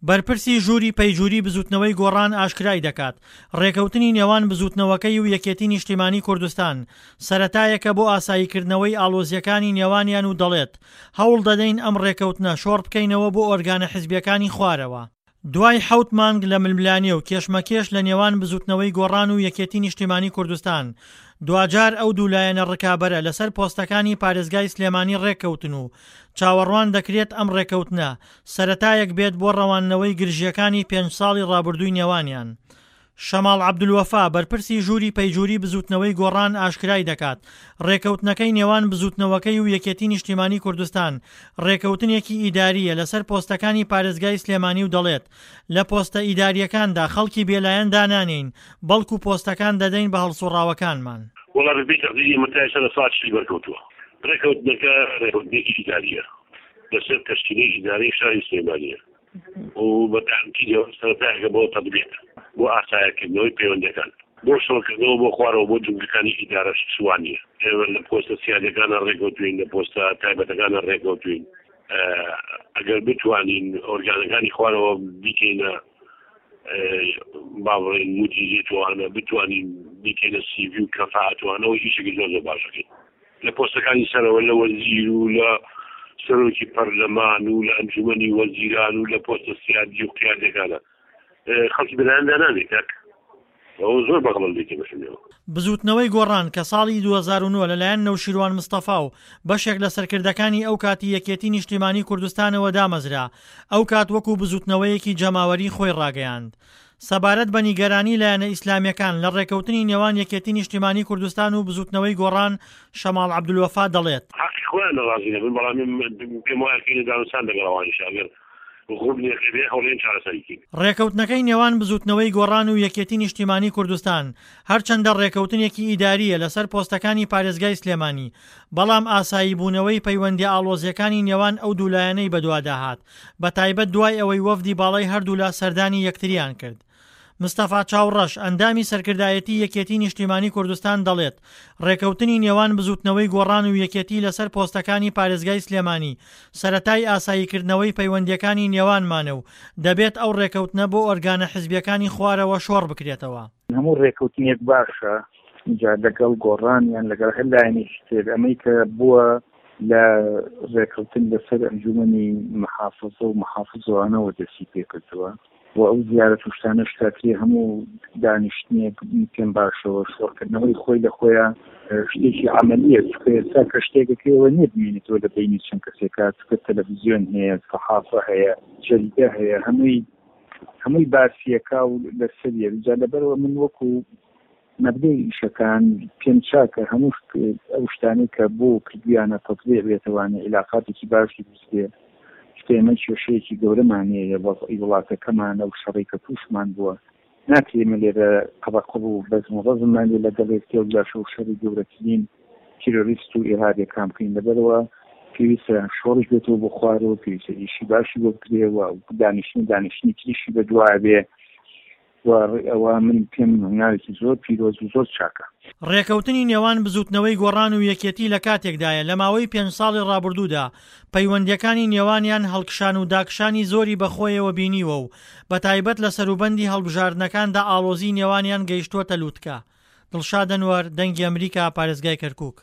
بەرپرسی ژووری پەیجوری بزوتنەوەی گۆڕان ئاشکرای دەکات، ڕێکەوتنی نێوان بزوتنەوەکەی و یەکێتی نیشتیمانی کوردستان سەرەتایەکە بۆ ئاساییکردنەوەی ئاڵۆزییەکانی نێوانیان و دەڵێت، هەوڵدەدەین ئەم ڕێکەوتنە شۆڕبکەینەوە بۆ ئۆرگانە حزبییەکانی خوارەوە. دوای حەوت مانگ لە ململانێ و کێشمەکێش لە نێوان بزوتنەوەی گۆڕان و یەکێتی نیشتیمانی کوردستان، دواجار ئەو دوو لایەنە ڕکابەرە لەسەر پۆستەکانی پارێزگای سلێمانی ڕێککەوتن و چاوەڕوان دەکرێت ئەم ڕێککەوتنە سەرەتایەک بێت بۆ ڕەواندنەوەی گرژییەکانی پێنج ساڵی ڕابردووی نێوانیان. شەماڵ عەبدولوەفا، بەرپرسی ژووری پەیجوری بزووتنەوەی گۆڕان ئاشکرای دەکات، ڕێکەوتنەکەی نێوان بزووتنەوەکەی و یەکێتی نیشتیمانی کوردستان ڕێکەوتنێکی ئیدارییە لەسەر پۆستەکانی پارێزگای سلێمانی و دەڵێت، لە پۆستە ئیدارییەکاندا خەڵکی بێلایەن دانانێین، بەڵکو پۆستەکان دەدەین بە هەڵسوڕاوەکانمان. وەڵا بەپێی تەقدیری ئێمە تا ئێستا 40% بەرکەوتووە. ڕێکەوتنەکە ڕێکەوتنێکی ئیدارییە لەسەر تەشکیلەی ئیدارەی شاری سلێمانییە. و بە تەئکیدەوە سەرەتایەکە بۆ تەتبیق، بۆ ئاسایەکردنەوەی پەیوەندیەکان، بۆ شۆڕکردنەوە بۆ خوارەوە بۆ جومگەکانی ئیدارەش وا نییە. ئێمە لە پۆستە سیادیەکانا ڕێکەوتوین، لە پۆستە تایبەتەکانا ڕێکەوتوین. ئەگەر بتوانین ئۆرگانەکانی خوارەوە بیکەینە با بڵێین مودیریەتوانە، بتوانین بیکەینە سیڤی و کەفائەتوانەوە ئیشێکی زۆر زۆر باش ئەکەین. لە پۆستەکانی سەرەوە لە وەزیر و لە سەرۆکی پەرلەمان و لە ئەنجومەنی وەزیران و لە پۆستە سیادی و قیادیەکانە خەڵکی بەلایەن دانانێ کاک ئەوە زۆر بەغڵەت لێ تێگەشتنەوە. بزووتنەوەی گۆڕان کە ساڵی 2009 لەلایەن نەوشیروان مستەفا و بەشێک لە سەرکردەکانی ئەو کاتی یەکێتی نیشتیمانی کوردستانەوە دامەزرا، ئەو کات وەکو بزووتنەوەیەکی جەماوەری خۆی ڕاگەیاند. سەبارەت بە نیگەرانی لایەنە ئیسلامییەکان لە ڕێکەوتنی نێوان یەکێتی نیشتیمانی کوردستان و بزوتنەوەی گۆڕان، شەماڵ عەبدولوەفا دەڵێت. حەقی خۆیانە ڕازی نەبن، بەڵام من پێم وایە کەینە دانوستان لەگەڵ ئەوانیش ئەگەر غوبنێک هەبێ هەوڵێن چارەسەری کەین. ڕێکەوتنەکەی نێوان بزوتنەوەی گۆڕان و یەکێتی نیشتیمانی کوردستان هەرچەندە ڕێکەوتنێکی ئیدارییە لەسەر پۆستەکانی پارێزگای سلێمانی، بەڵام ئاساییبوونەوەی پەیوەندییە ئاڵۆزییەکانی نێوان ئەو دوو لایەنەی بەدوادا هات، بەتایبەت دوای ئەوەی وەفدی باڵای هەردوولا سەردانی یەکتریان کرد. مستەفا چاوڕەش، ئەندامی سەرکردایەتی یەکێتی نیشتیمانی کوردستان دەڵێت، ڕێکەوتنی نێوان بزوتنەوەی گۆڕان و یەکێتی لەسەر پۆستەکانی پارێزگای سلێمانی سەرەتای ئاساییکردنەوەی پەیوەندییەکانی نێوانمانە و دەبێت ئەو ڕێکەوتنە بۆ ئۆرگانە حزبییەکانی خوارەوە شۆڕ بکرێتەوە. هەموو ڕێکەوتنێک باشە، جا لەگەڵ گۆڕان یان لەگەڵ هەر لایەنێکی تر، ئەمەی کە بووە لە ڕێکەوتن لەسەر ئەنجومەنی محافزە و محافزەوانەوە دەستی پێکردووە و ئەو زیارەت و شتانەش کاکرێ هەموو دانیشتنێک پێم باشەوە شۆڕکردنەوەی خۆی لە خۆیان شتێکی عملیە چونکە ئێستا کە شتێکەکەیەوە نییە بمێنێتەوە لە بینی چەند کەسێکا چونکە تەلەڤزیۆن هەیە سەحافە هەیە جەریدە هەیە هەمووی هەمووی باسیەکە و لەسەریە جا لەبەرەوە من وەکو مەبدەئی ئیشەکان پێم چاکە هەموو ئەو شتانەی کە بۆ کردویانە تەتبیع بێتەوانێ عیلاقاتێکی باش دروست بێ چونکە ئێمە کێشەیەکی گەورەمان هەیە وەزعی وڵاتەکەمانە و شەڕی کە تووشمان بووە ناکرێ ئێمە لێرە قەبەقەب و بەزم و ڕەزممان لێ لەگەڵ یەکتر و لاشە و شەڕی گەورەترین تیرۆریست و ئیرهابیەکان بکەین لەبەرەوە پێویستە شۆڕش بێتەوە بۆ خوارەوە پێویستە ئیشی باشی بۆ بکرێ و دانیشتن دانیشتنی تریشی بەدوایە بێ و ئەوە من پێم هەنگاوێکی زۆر پیرۆز و زۆر چاکە. ڕێکەوتنی نێوان بزوتنەوەی گۆڕان و یەکێتی لە کاتێکدایە لە ماوەی پێنج ساڵی ڕابردوودا پەیوەندییەکانی نێوانیان هەڵکشان و داکشانی زۆری بەخۆیەوە بینیوە و بەتایبەت لە سەروبەندی هەڵبژاردنەکاندا ئاڵۆزیی نێوانیان گەیشتووەتە لوتکە. دڵشاد ئەنوەر، دەنگی ئەمریکا، پارێزگای کەرکوک.